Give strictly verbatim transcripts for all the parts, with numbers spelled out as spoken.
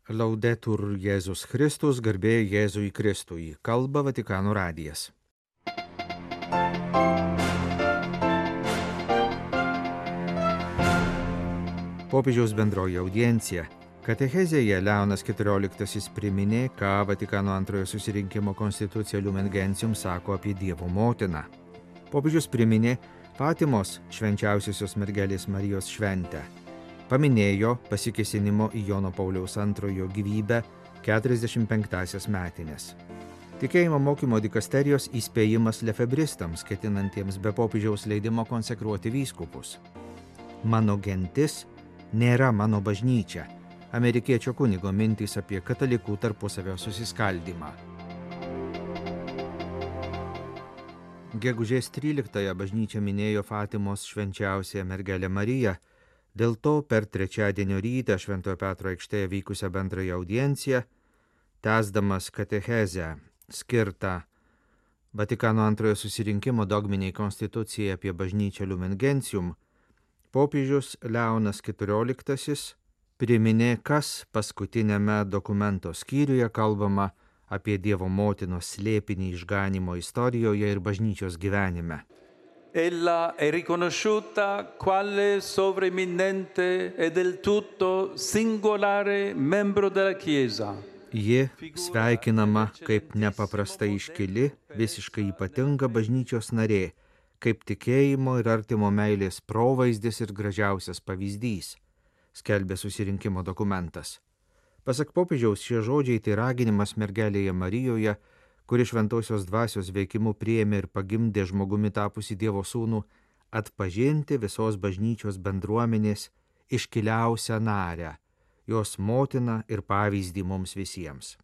Laudetur Jėzus Kristus, garbė Jėzui Kristui, kalba Vatikano radijas. Popiežiaus bendroji audiencija. Katechezėje Leonas keturioliktasis priminė, ką Vatikano antrojo susirinkimo konstitucija Lumen Gentium sako apie Dievo motiną. Popiežius priminė Fatimos švenčiausiosios mergelės Marijos šventę. Paminėjo pasikėsinimo į Jono Pauliaus antrojo gyvybę keturiasdešimt penktąsias metinės. Tikėjimo mokymo dikasterijos įspėjimas lefebristams, ketinantiems be popiežiaus leidimo konsekruoti vyskupus. Mano gentis nėra mano bažnyčia. Amerikiečio kunigo mintys apie katalikų tarpusavio susiskaldymą. Gegužės tryliktąją bažnyčia minėjo Fatimos švenčiausiąją mergelę Mariją. Dėl to per trečiadienio rytą Šventojo Petro aikštėje vykusią bendrąją audienciją, tęsdamas katechezę skirtą Vatikano antrojo susirinkimo dogminiai konstitucijai apie bažnyčią Lumen Gentium, popiežius Leonas keturioliktasis priminė, kas paskutiniame dokumento skyriuje kalbama apie Dievo motinos slėpinį išganymo istorijoje ir bažnyčios gyvenime. Ella è riconosciuta quale sovreminente e del tutto singolare membro della Chiesa. Ji sveikinama kaip nepaprastai iškili, visiškai ypatinga bažnyčios narė, kaip tikėjimo ir artimo meilės provaizdis ir gražiausias pavyzdys, skelbė susirinkimo dokumentas. Pasak popiežiaus, šie žodžiai tai raginimas mergelėje Marijoje, kuri šventosios dvasios veikimu priėmė ir pagimdė žmogumi tapusi Dievo sūnų, atpažinti visos bažnyčios bendruomenės iškiliausią narę, jos motiną ir pavyzdį mums visiems.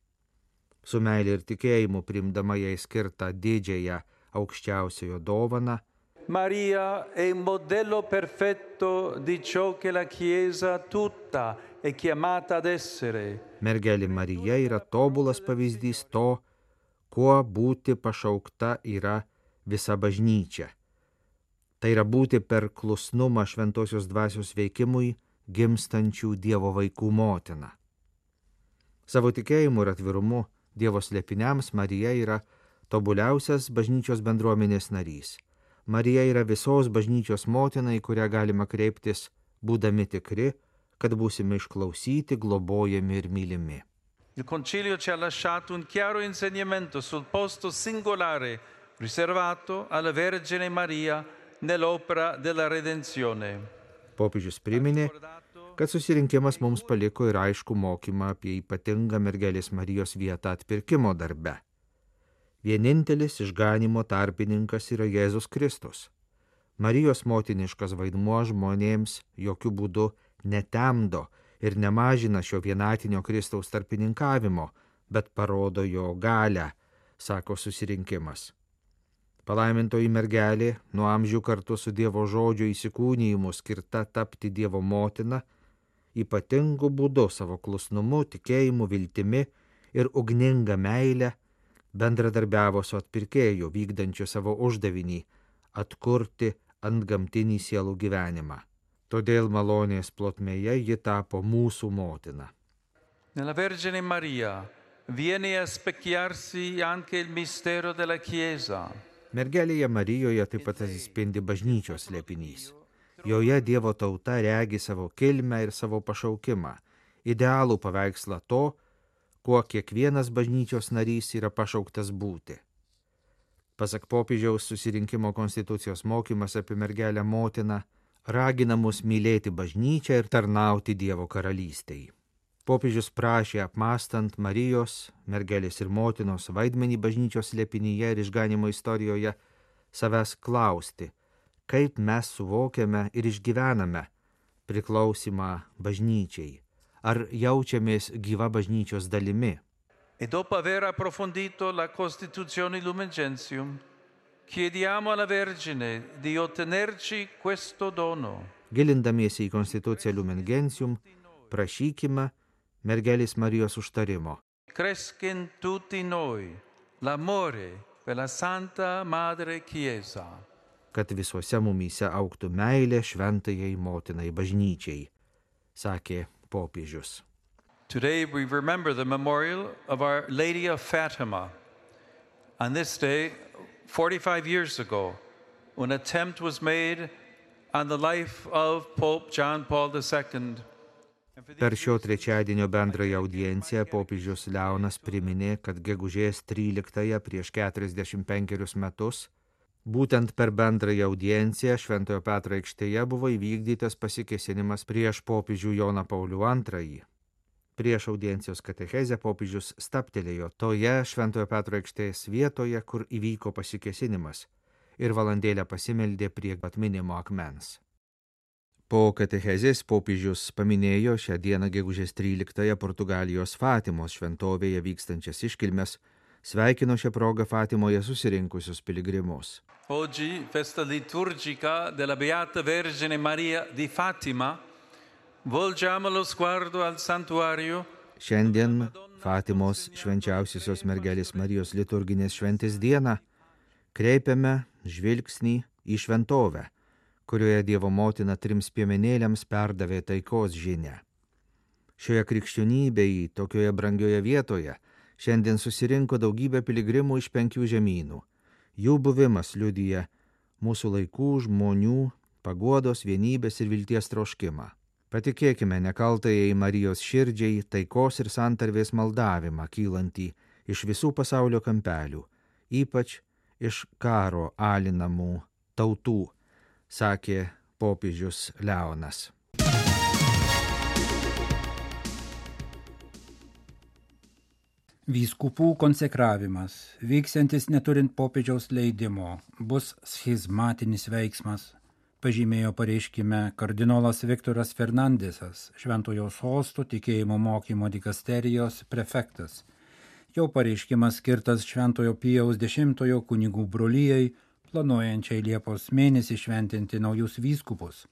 Su meilė ir tikėjimu priimdama jai skirtą didžiąją aukščiausiojo dovaną, Maria è un modello perfetto di ciò che la Chiesa tutta è chiamata ad essere. Mergelė Marija yra tobulas pavyzdys to, kuo būti pašaukta yra visa bažnyčia. Tai yra būti per klusnumą šventosios dvasios veikimui gimstančių Dievo vaikų motina. Savo tikėjimu ir atvirumu Dievo slėpiniams Marija yra tobuliausias bažnyčios bendruomenės narys. Marija yra visos bažnyčios motina, į kurią galima kreiptis, būdami tikri, kad būsime išklausyti, globojami ir mylimi. Il Concilio ci ha lasciato un chiaro insegnamento sul posto singolare riservato alla Vergine Maria nell'opera della redenzione. Popiežius priminė, kad susirinkimas mums paliko ir aišku mokymą apie ypatingą mergelės Marijos vietą atpirkimo darbe. Vienintelis išganymo tarpininkas yra Jėzus Kristus. Marijos motiniškas vaidmuo žmonėms jokių būdų netemdo ir nemažina šio vienatinio Kristaus tarpininkavimo, bet parodo jo galią, sako susirinkimas. Palaimintoji mergelė, nuo amžių kartu su Dievo žodžio įsikūnijimu skirta tapti Dievo motina, ypatingu būdu savo klusnumu, tikėjimu, viltimi ir ugninga meile bendradarbiavo su atpirkėju, vykdančiu savo uždavinį atkurti antgamtinį sielų gyvenimą. Todėl malonės plotmėje ji tapo mūsų motina. Nella Vergine Maria viene a specchiarsi anche il mistero della Chiesa. Mergelėje Marijoje taip pat atsispindi bažnyčios slėpinys. Joje Dievo tauta regi savo kilmę ir savo pašaukimą, idealų paveikslą to, kuo kiekvienas bažnyčios narys yra pašauktas būti. Pasak popiežiaus, susirinkimo konstitucijos mokymas apie mergelę motiną ragina mus mylėti bažnyčią ir tarnauti Dievo karalystei. Popiežius prašė, apmąstant Marijos, mergelės ir motinos vaidmenį bažnyčios slėpinyje ir išganimo istorijoje, savęs klausti, kaip mes suvokiame ir išgyvename priklausimą bažnyčiai, ar jaučiamės gyva bažnyčios dalimi. E dopo aver approfondito la Costituzione Lumen Gentium, chiediamo alla Vergine di ottenerci questo dono. Gilindamiesi į konstituciją Lumen Gentium, prašykime mergelės Marijos užtarimo. Cresca in tutti noi l'amore per la Santa Madre Chiesa. Kad visuose mumyse augtų meilė šventajai motinai bažnyčiai, sakė popiežius. Today we remember the memorial of Our Lady of Fatima. On this day, forty-five years ago, an attempt was made on the life of Pope John Paul the Second. Per šio trečiadienio bendrąją audienciją popiežius Leonas priminė, kad gegužės tryliktąją prieš keturiasdešimt penkerius metus būtent per bendrąją audienciją Šventojo Petro aikštėje buvo įvykdytas pasikėsinimas prieš popiežių Joną Paulių antrąjį. Prieš audiencijos katechezę popiežius stabtelėjo toje Šventojo Petro aikštės vietoje, kur įvyko pasikėsinimas, ir valandėlę pasimeldė prie atminimo akmens. Po katechezės popiežius paminėjo šią dieną gegužės tryliktąją Portugalijos Fatimos šventovėje vykstančias iškilmes, sveikino šią progą Fatimoje susirinkusius piligrimus. Oggi, festa liturgica della Beata Vergine Maria di Fatima, volgiamo lo sguardo al santuario. Šiandien Fatimos švenčiausiosios mergelės Marijos liturginės šventės dieną kreipiame žvilgsnį į šventovę, kurioje Dievo motina trims piemenėliams perdavė taikos žinią. Šioje krikščionybėje, tokioje brangioje vietoje, šiandien susirinko daugybė piligrimų iš penkių žemynų. Jų buvimas liudija mūsų laikų žmonių paguodos, vienybės ir vilties troškimą. Patikėkime nekaltajai Marijos širdžiai taikos ir santarvės maldavimą kylantį iš visų pasaulio kampelių, ypač iš karo alinamų tautų, sakė popiežius Leonas. Vyskupų konsekravimas, vyksiantis neturint popiežiaus leidimo, bus schizmatinis veiksmas, pažymėjo pareiškime kardinolas Viktoras Fernandesas, Šventojo Sosto tikėjimo mokymo dikasterijos prefektas. Jo pareiškimas skirtas Šventojo Pijaus dešimtojo kunigų brolijai, planuojančiai Liepos mėnesį šventinti naujus vyskupus.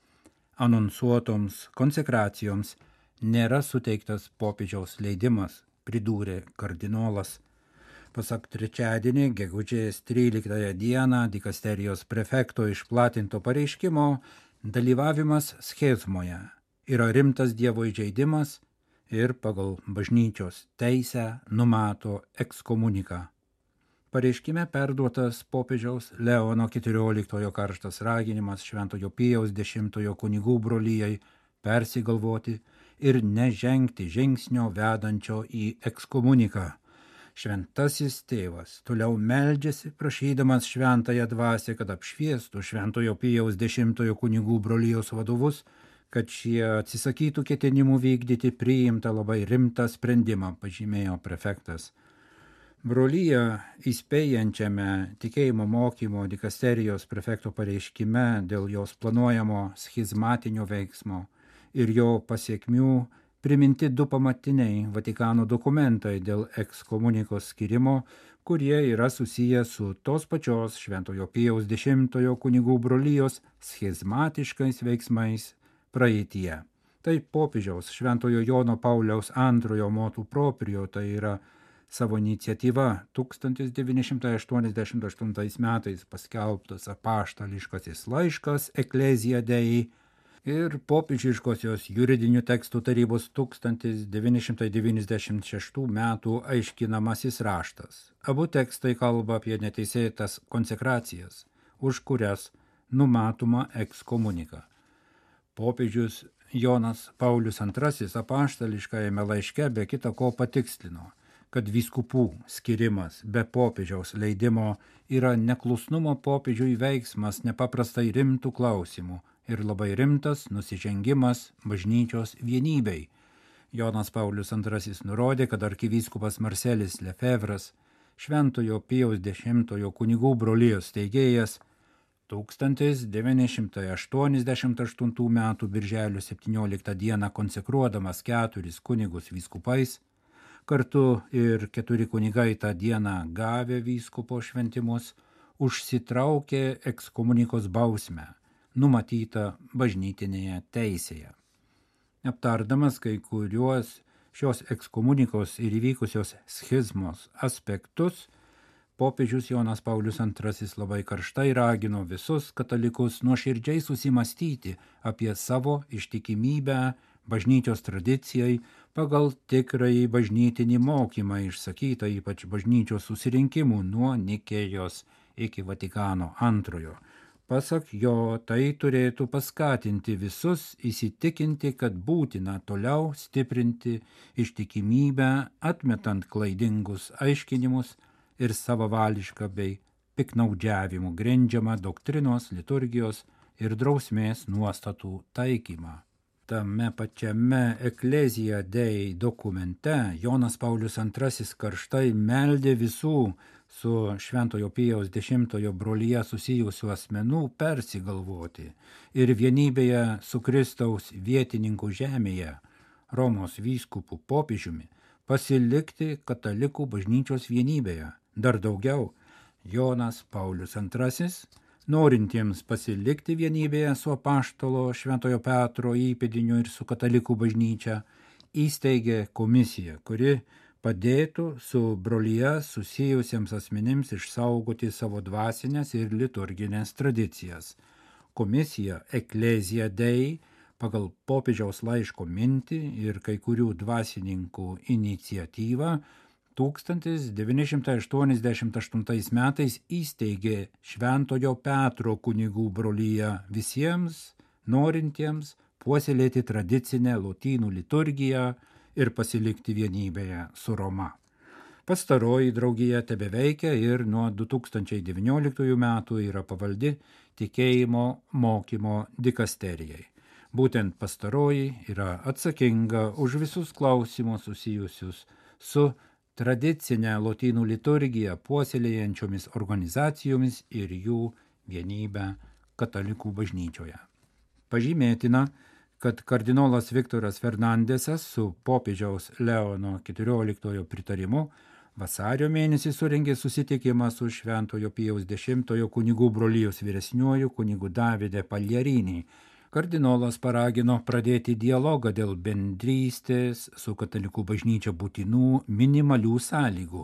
Anonsuotoms konsekracijoms nėra suteiktas popiežiaus leidimas, pridūrė kardinolas. Pasak trečiadienį, gegužės tryliktąją dieną dikasterijos prefekto išplatinto pareiškimo, dalyvavimas schizmoje yra rimtas Dievo įžeidimas ir pagal bažnyčios teisę numato ekskomuniką. Pareiškime perduotas popiežiaus Leono keturioliktojo karštas raginimas Šventojo Pijaus dešimtojo kunigų brolijai persigalvoti ir nežengti žingsnio vedančio į ekskomuniką. Šventasis tėvas toliau meldžiasi, prašydamas šventąją dvasią, kad apšviestų Šventojo Pijaus dešimtojo kunigų brolijos vadovus, kad šie atsisakytų ketinimų vykdyti priimtą labai rimtą sprendimą, pažymėjo prefektas. Brolyje įspėjančiame tikėjimo mokymo dikasterijos prefekto pareiškime dėl jos planuojamo schizmatinio veiksmo ir jo pasiekmių priminti du pamatiniai Vatikano dokumentai dėl ekskomunikos skirimo, kurie yra susiję su tos pačios Šventojo Pijaus dešimtojo kunigų brolijos schizmatiškais veiksmais praeityje. Tai popiežiaus Šventojo Jono Pauliaus antrojo motu proprio, tai yra savo iniciatyva tūkstantis devyni šimtai aštuoniasdešimt aštuntais metais paskelbtas apaštališkasis laiškas Ecclesia Dei ir popiežiškosios juridinių tekstų tarybos tūkstantis devyni šimtai devyniasdešimt šeštų metų aiškinamasis raštas. Abu tekstai kalba apie neteisėtas konsekracijas, už kurias numatoma ekskomunika. Popiežius Jonas Paulius antrasis apaštališkajame laiške be kita ko patikslino, kad vyskupų skirimas be popiežiaus leidimo yra neklusnumo popiežiui veiksmas nepaprastai rimtų klausimų ir labai rimtas nusižengimas bažnyčios vienybei. Jonas Paulius antrasis nurodė, kad arkivyskupas Marcelis Lefevras, Šventojo Pijaus dešimtojo kunigų brolijos steigėjas, tūkstantis devyni šimtai aštuoniasdešimt aštuntų metų birželio septynioliktą dieną konsekruodamas keturis kunigus vyskupais, kartu ir keturi kunigai tą dieną gavę vyskupo šventimus, užsitraukė ekskomunikos bausmę, numatytą bažnytinėje teisėje. Aptardamas kai kuriuos šios ekskomunikos ir įvykusios schizmos aspektus, popiežius Jonas Paulius antrasis labai karštai ragino visus katalikus nuoširdžiai susimastyti apie savo ištikimybę bažnyčios tradicijai pagal tikrąjį bažnytinį mokymą išsakytą ypač bažnyčios susirinkimų nuo Nikėjos iki Vatikano antrojo. Pasak jo, tai turėtų paskatinti visus įsitikinti, kad būtina toliau stiprinti ištikimybę, atmetant klaidingus aiškinimus ir savavališką bei piknaudžiavimų grindžiamą doktrinos, liturgijos ir drausmės nuostatų taikymą. Tame pačiame Ecclesia Dei dokumente Jonas Paulius antrasis karštai meldė visų su Šventojo Pijaus dešimtojo brolija susijusių asmenų persigalvoti ir vienybėje su Kristaus vietininku žemėje, Romos vyskupų popiežiumi, pasilikti katalikų bažnyčios vienybėje. Dar daugiau, Jonas Paulius antrasis, norintiems pasilikti vienybėje su apaštalo Šventojo Petro įpėdiniu ir su katalikų bažnyčia, įsteigė komisiją, kuri padėtų su brolija susijusiems asmenims išsaugoti savo dvasinės ir liturginės tradicijas. Komisija Ecclesia Dei pagal popiežiaus laiško mintį ir kai kurių dvasininkų iniciatyvą tūkstantis devyni šimtai aštuoniasdešimt aštuntais metais įsteigė Šventojo Petro kunigų broliją visiems norintiems puoselėti tradicinę lotynų liturgiją ir pasilikti vienybėje su Roma. Pastaroji draugija tebeveikia ir nuo du tūkstančiai devynioliktųjų metų yra pavaldi tikėjimo mokymo dikasterijai. Būtent pastaroji yra atsakinga už visus klausimus susijusius su tradicinę lotynų liturgiją puoselėjančiomis organizacijomis ir jų vienybę katalikų bažnyčioje. Pažymėtina, kad kardinolas Viktoras Fernandesas su popiežiaus Leono keturioliktojo pritarimu vasario mėnesį surengė susitikimą su Šventojo Pijaus dešimtojo kunigų brolijos vyresniuoju kunigu Davide Pagliarini. Kardinolas paragino pradėti dialogą dėl bendrystės su katalikų bažnyčia būtinų minimalių sąlygų.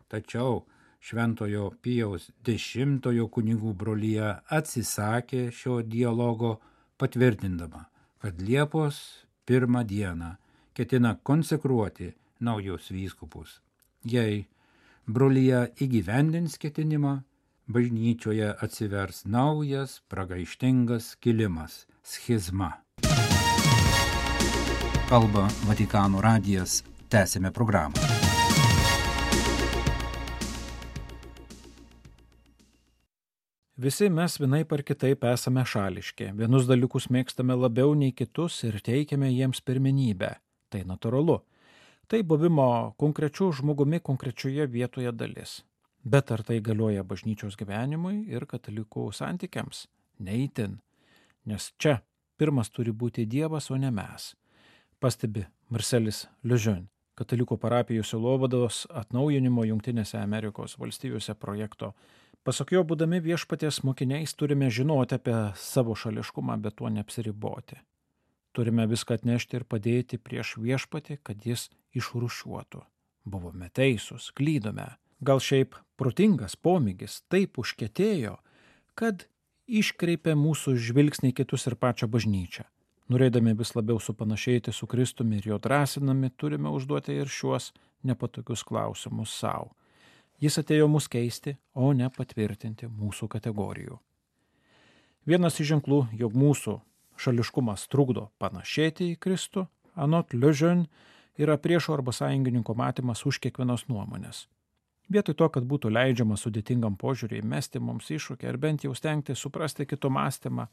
Tačiau Šventojo Pijaus dešimtojo kunigų brolija atsisakė šio dialogo, patvirtindama, kad Liepos pirmą dieną ketina konsekruoti naujus vyskupus. Jei brolija įgyvendins ketinimą, bažnyčioje atsivers naujas pragaištingas kilimas – schizma. Kalba Vatikano radijas, tęsėme programą. Visi mes vienaip ar kitaip esame šališki. Vienus dalykus mėgstame labiau nei kitus ir teikiame jiems pirmenybę. Tai natūralu. Tai buvimo konkrečių žmogumi konkrečioje vietoje dalis. Bet ar tai galioja bažnyčios gyvenimui ir katalikų santykiams? Neįtin. Nes čia pirmas turi būti Dievas, o ne mes. Pastebi Marcelis Lejeune, katalikų parapijų sielovados atnaujinimo Jungtinėse Amerikos valstijose projekto. Pasak jo, būdami viešpaties mokiniais, turime žinoti apie savo šališkumą, bet tuo neapsiriboti. Turime viską atnešti ir padėti prieš viešpatį, kad jis išrūšiuotų. Buvome teisūs, klydome. Gal šiaip protingas pomėgis taip užkietėjo, kad iškreipė mūsų žvilgsnį kitus ir pačią bažnyčią. Norėdami vis labiau supanašėti su Kristumi ir jo drąsinami, turime užduoti ir šiuos nepatogius klausimus savo. Jis atėjo mus keisti, o ne patvirtinti mūsų kategorijų. Vienas iš ženklų, jog mūsų šališkumas trukdo panašėti į Kristų, anot Lejeune, yra priešo arba sąjungininko matymas už kiekvienos nuomonės. Vietoj to, kad būtų leidžiama sudėtingam požiūriui mesti mums iššūkį ar bent jau stengti suprasti kito mąstymą,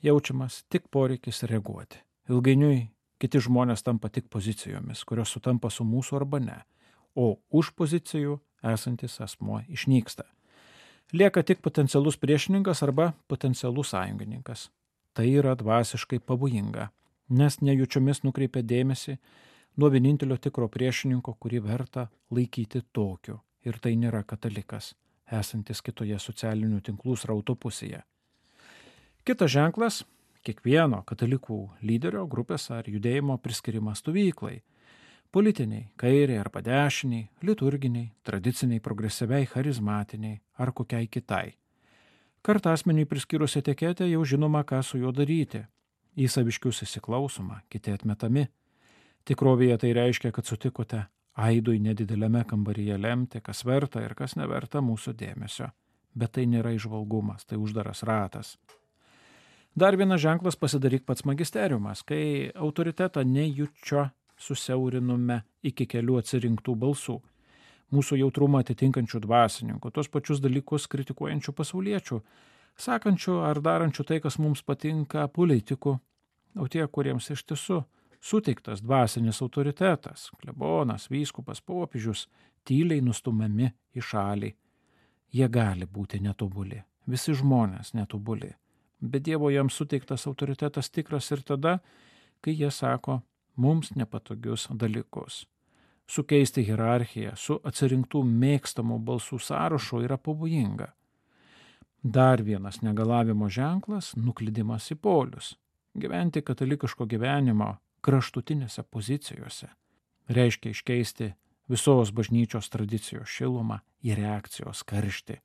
jaučiamas tik poreikis reaguoti. Ilgainiui kiti žmonės tampa tik pozicijomis, kurios sutampa su mūsų arba ne, o už pozicijų esantis asmuo išnyksta. Lieka tik potencialus priešininkas arba potencialus sąjungininkas. Tai yra dvasiškai pavojinga, nes nejučiomis nukreipia dėmesį nuo vienintelio tikro priešininko, kurį verta laikyti tokiu. Ir tai nėra katalikas, esantis kitoje socialinių tinklų srauto pusėje. Kitas ženklas – kiekvieno katalikų lyderio, grupės ar judėjimo priskirimas stovyklai. Politiniai, kairiai arba dešiniai, liturginiai, tradiciniai, progresyviai, charizmatiniai ar kokiai kitai. Kartą asmeniui priskyrus etiketę jau žinoma, ką su juo daryti. Į saviškius įsiklausoma, kiti atmetami. Tikrovėje tai reiškia, kad sutikote aidui nedideliame kambaryje lemti, kas verta ir kas neverta mūsų dėmesio. Bet tai nėra įžvalgumas, tai uždaras ratas. Dar vienas ženklas pasidaryk pats magisteriumas, kai autoritetą nejučio susiaurinome iki kelių atsirinktų balsų. Mūsų jautrumą atitinkančių dvasininkų, tos pačius dalykus kritikuojančių pasauliečių, sakančių ar darančių tai, kas mums patinka politikų, o tie, kuriems iš tiesų suteiktas dvasinis autoritetas, klebonas, vyskupas, popiežius, tyliai nustumiami į šalį. Jie gali būti netobuli, visi žmonės netobuli, bet Dievo jiems suteiktas autoritetas tikras ir tada, kai jie sako mums nepatogius dalykus. Sukeisti hierarchiją su atsirinktų mėgstamų balsų sąrašu yra pavojinga. Dar vienas negalavimo ženklas – nuklydimas į polius. Gyventi katalikiško gyvenimo kraštutinėse pozicijose reiškia iškeisti visos bažnyčios tradicijos šilumą į reakcijos karštį.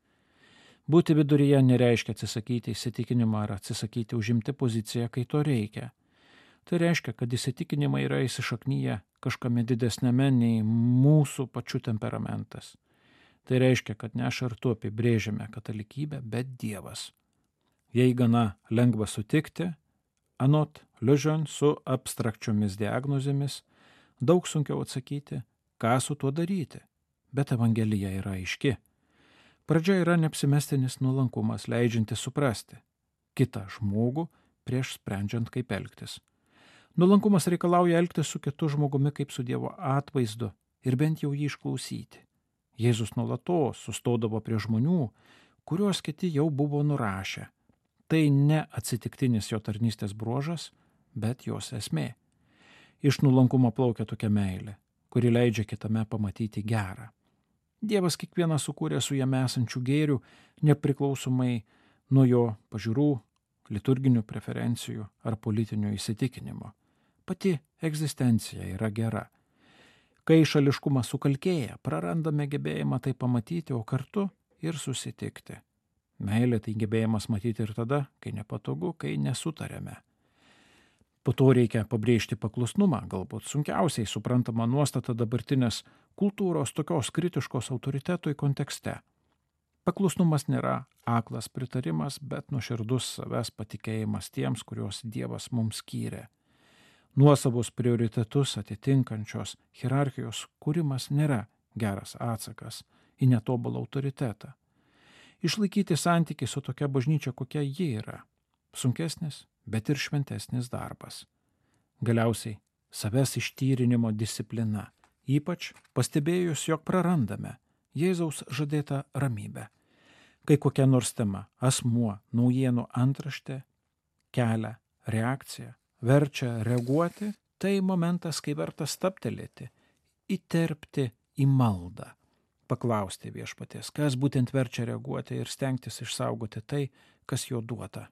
Būti viduryje nereiškia atsisakyti įsitikinimą ar atsisakyti užimti poziciją, kai to reikia. Tai reiškia, kad įsitikinimai yra įsišaknyję kažkame didesnėme nei mūsų pačių temperamentas. Tai reiškia, kad ne aš ar tu apibrėžiame katalikybę, bet Dievas. Jei gana lengva sutikti, anot Lejeune su abstrakčiomis diagnozėmis, daug sunkiau atsakyti, ką su tuo daryti, bet Evangelija yra aiški. Pradžia yra neapsimestinis nuolankumas, leidžiantis suprasti kitą žmogų prieš sprendžiant, kaip elgtis. Nuolankumas reikalauja elgtis su kitu žmogumi kaip su Dievo atvaizdu ir bent jau jį išklausyti. Jėzus nuolatos sustodavo prie žmonių, kuriuos kiti jau buvo nurašę. Tai ne atsitiktinis jo tarnystės bruožas, bet jos esmė. Iš nuolankumo plaukia tokia meilė, kuri leidžia kitame pamatyti gerą. Dievas kiekvieną sukūrė su jame esančių gėrių, nepriklausomai nuo jo pažiūrų, liturginių preferencijų ar politinio įsitikinimo. Pati egzistencija yra gera. Kai šališkumas sukalkėja, prarandame gebėjimą tai pamatyti, o kartu ir susitikti. Meilė tai gebėjimas matyti ir tada, kai nepatogu, kai nesutarėme. Po to reikia pabrėžti paklusnumą, galbūt sunkiausiai suprantama nuostata dabartinės kultūros tokios kritiškos autoritetui kontekste. Paklusnumas nėra aklas pritarimas, bet nuoširdus savęs patikėjimas tiems, kuriuos Dievas mums skyrė. Nuosavus prioritetus atitinkančios hierarchijos kūrimas nėra geras atsakas į netobulą autoritetą. Išlaikyti santykį su tokia bažnyčia, kokia ji yra. Sunkesnis, bet ir šventesnis darbas. Galiausiai savęs ištyrinimo disciplina, ypač pastebėjus, jog prarandame Jėzaus žadėtą ramybę. Kai kokia nors tema, asmuo, naujienų antraštė, kelia reakciją, verčia reaguoti, tai momentas, kai verta stabtelėti, įterpti į maldą, paklausti viešpaties, kas būtent verčia reaguoti ir stengtis išsaugoti tai, kas jo duota.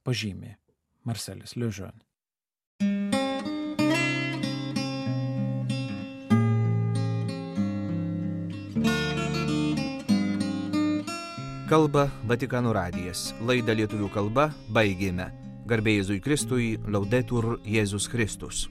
Pažymė Marcelis Lejeune. Kalba Vatikano radijas. Laidą lietuvių kalba baigėme. Garbė Jėzui Kristui, Laudetur Jėzus Kristus.